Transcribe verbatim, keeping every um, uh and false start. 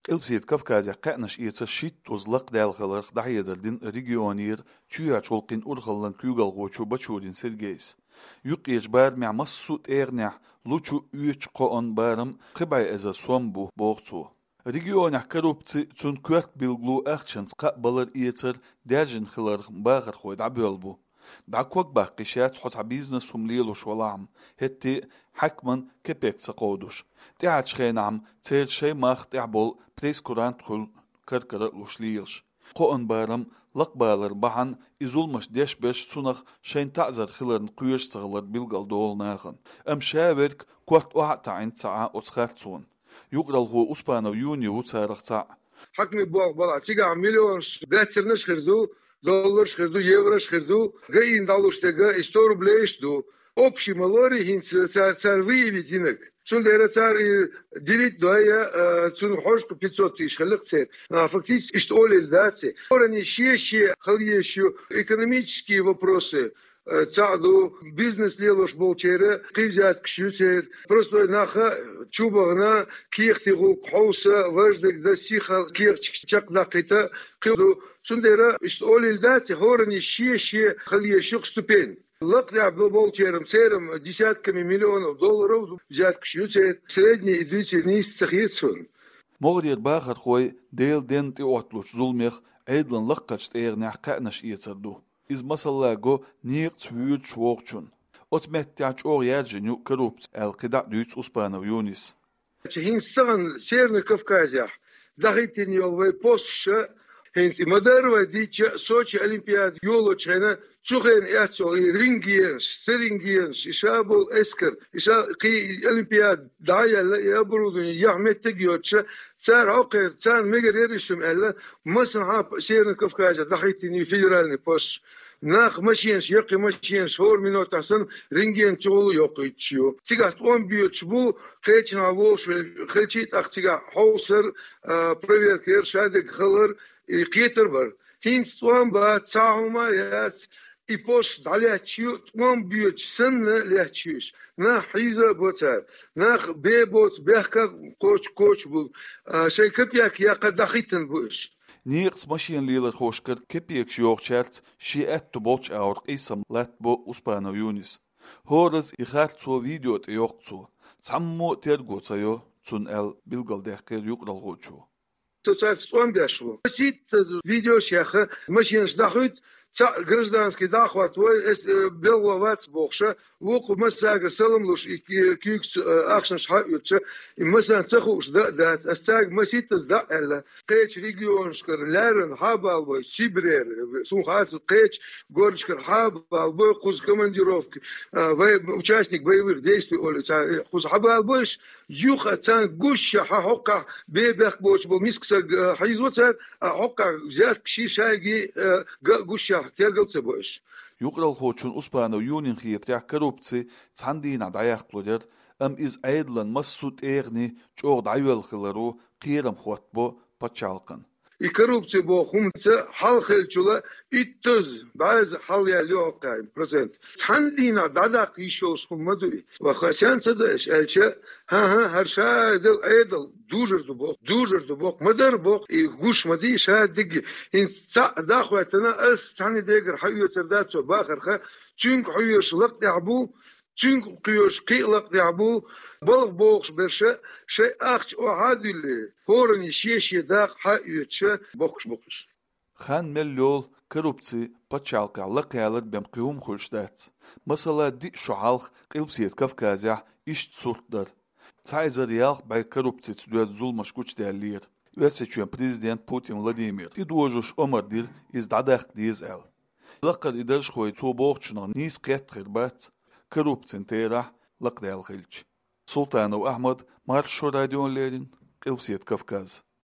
Къилбседа Кавказехь кхаьънаш эцар шийттазза лакхадаьлла хиларх дӀахьедар дина регионера чоьхьарчу гӀуллакхийн урхаллин куьйгалхочо Бачурин Сергейс. Юккъерчу барамехь массо а тӀегӀанехь лучу, оьцучу кхоан барам пхи бӀе эзар сом бу, боху цо. Регионехь коррупци, цуьнан коьрта билгало ахчанца кхаъ балар-эцар даьржина хиларх бахархой дӀабоьлла бу. ДӀа ког баккха йиш яц хьо цхьа бизнес хӀума лелош валахь-м, хӀетте а хьаькамна кепек ца кховдуш. ТӀаьхьарчу хенахь-м церан шайн мах тӀехь болу прейскурант хуьлу каркара а луш лелаш. Кхоан барам лакхабалар бахьана и зуламаш деш берш цунах шайна таӀзар хиларна кхоьруш ца хилар билгалдолу нахана. Амма ша верг корта охьа а таӀийна ца Ӏа оцу харцонна. Юкъаралхо Успанов Юни ву царах цхьаъ. Хьаькамийн болх балахь, цигахь миллионаш, баьццарнаш хир ду, долларш хир ду, еврош хир ду, гаийна дӀалуш дерг и сто рублейш ду. Общий ма лорий хӀинца цара, цара выявить йинарг. Цундела цара и делить дой, а, цунна хьожуш пятьсот тысяч хилла-кх церан. А, фактически иштта олийла дац и. ХӀоранна шен-шен хила езаш ю экономические вопросы, э, цхьаъ ду, бизнес лелош болчеран кхин взяткаш ю церан. Простой наха чу бахана, кехатийн гӀуллакх хьовса, важа дерг дан, сиха кехаташ чекхдаккхийта кхин ду. Цундела иштта олийла дац и, хӀоранна шен-шен хила езаш ю-кх ступень. Лакхадехь бо-, болчеран, церан десятками миллионов долларов взяткаш ю церан, средний и дуьйций нийса ца хета суна. МогӀарера бахархой Делан денна тӀеотталучу зуламех Ӏедалан лакхарчу тӀегӀанехь кхаьънаш эцар ду. Иза масала го некъаца воьдуш вогӀучунна. Оцу меттехь чӀогӀа яьржина ю коррупци аьлла кхидӀа а дуьйцу Успанов Юнис. ХӀинца тахана Северный Кавказехь дахийтина йолу вай посташ, хӀинца и ма-дарра вай дийцича, Сочи Олимпиада йолочу хенахь, цу хенахь эцна йолу и рентгенаш, ца рентгенаш, и ша болу эскар, и ша кхин и Олимпиада дӀа а яьлла, и оборудование яхь меттиг а йоцуш, цара хьокхуьйту, царна мегар яра и шуьма аьлла, массанхьа а Северный Кавказехь дахийтина ю федеральный посташ. Нах машенаш, яккхий машенаш, хӀора минотехь санна рентген чухула йоккхуьйтуш ю. Цигахь тӀом боьдуш бу, кхечанхьа вогӀуш хилча а, тӀаккха цигахь хьовсар, а, проверка яр, шадерг хилар, и кхетар бар. ХӀинца тӀом бац, цхьа хӀума а яц, и посташ дӀалаьтташ ю, тӀом боьдуш санна лаьтташ ю уьш. Нах хьийза а бо цара, нах бен боцу бехках кхочу-кхочу бу, а, шайн капек яккха дахийтина бу уьш. Некъаца машина лелорхошкара кепекаш йохучаьрца шен аьтто болчу агӀор къийсам латтабо Успанов Юнис. ХӀоразза и харцо видео тӀе йоккху цо. Цхьаммо а терго ца йо цунна аьлла билгалдаьккхира юкъаралхочо. Со цаьрца тӀом беш ву. Масийтта видеош яьхна, машенаш дӀахуьйту, цхьаъ гражданский дӀа а хӀоттавой, эс, э, белхало вац бохуша, вукху массаьргара салам луш, и ки-, куьйгаца, э, ахчанаш хьаоьцуша, и массарна ца хууш дан а дац, ас цаьрга масийттаза дӀа а аьлла. Кхечу регионашкара лаьррина хьа а балабой, Сибрера, суна хаза кхечу городашкара хьа а балабой, кхуза командировка, а, вай, участник боевых действий олу цара, э, кхуза хьа а балабой уьш, юха царна гуш а хьа хьокхахь бен бехк боцуш болу миска стаг, а, хьийзо цара, а хьокхахь взяткаш шайга, а, ган а гуш а тергал ца бо уьш. Юкъаралхочун Успанов Юнин хетарехь, коррупци цхьана дийнахь дӀаяккхалур яра, амма иза Ӏедалан массо а тӀегӀане чӀогӀа дӀайоьлла хиларо кхерам хӀоттабо пачхьалкхана. И коррупци боху хӀума ца хьалхеллачул иттаза, бӀозза хьалаяьлла ю хӀокху процент. Цхьана дийнахь дӀадаккха йиш йолуш хӀума ма ду и. Ва ха сен ца даьш аьлча, хӀан-хӀа, хӀара ша дела Ӏедал дужур ду боху, дужур ду боху, ма-дарра боху, и гуш ма дий ша дигги. ХӀинца цхьаъ дӀахӀоьттина, ас цхьана дегара хьаоьцур дац цо бахарха, цуьнга хьоьжуш лакхадехь бу, цуьнга кхоьруш кхин а лакхадехь бу, балха бохуш берш шайн ахча охьа а дуьллий, хӀоранна шен-шен дакъа хьаоьцуш бохкуш бу-кх уьш. Хан мел йолу коррупци пачхьалкхехь лакхаялар бен кхин хӀума хуьлуш дац. Масала, диъ шо хьалха Къилбаседа Кавказехь иштта сурт дара. Цхьа эзар ялх бӀе коррупцица доьзна зуламаш гучудаьллера. Оьрсийчоьнан президент Путин Владимир тӀедожош омра дира иза дӀадаккха деза аьлла. Лакхара и даржхой цо бохучунах нийса кхетта хир бац, коррупцин терахь лакхадаьлла хилча. Султанов Ахьмад, Маршо радиона леррина, Къилбаседа Кавказ.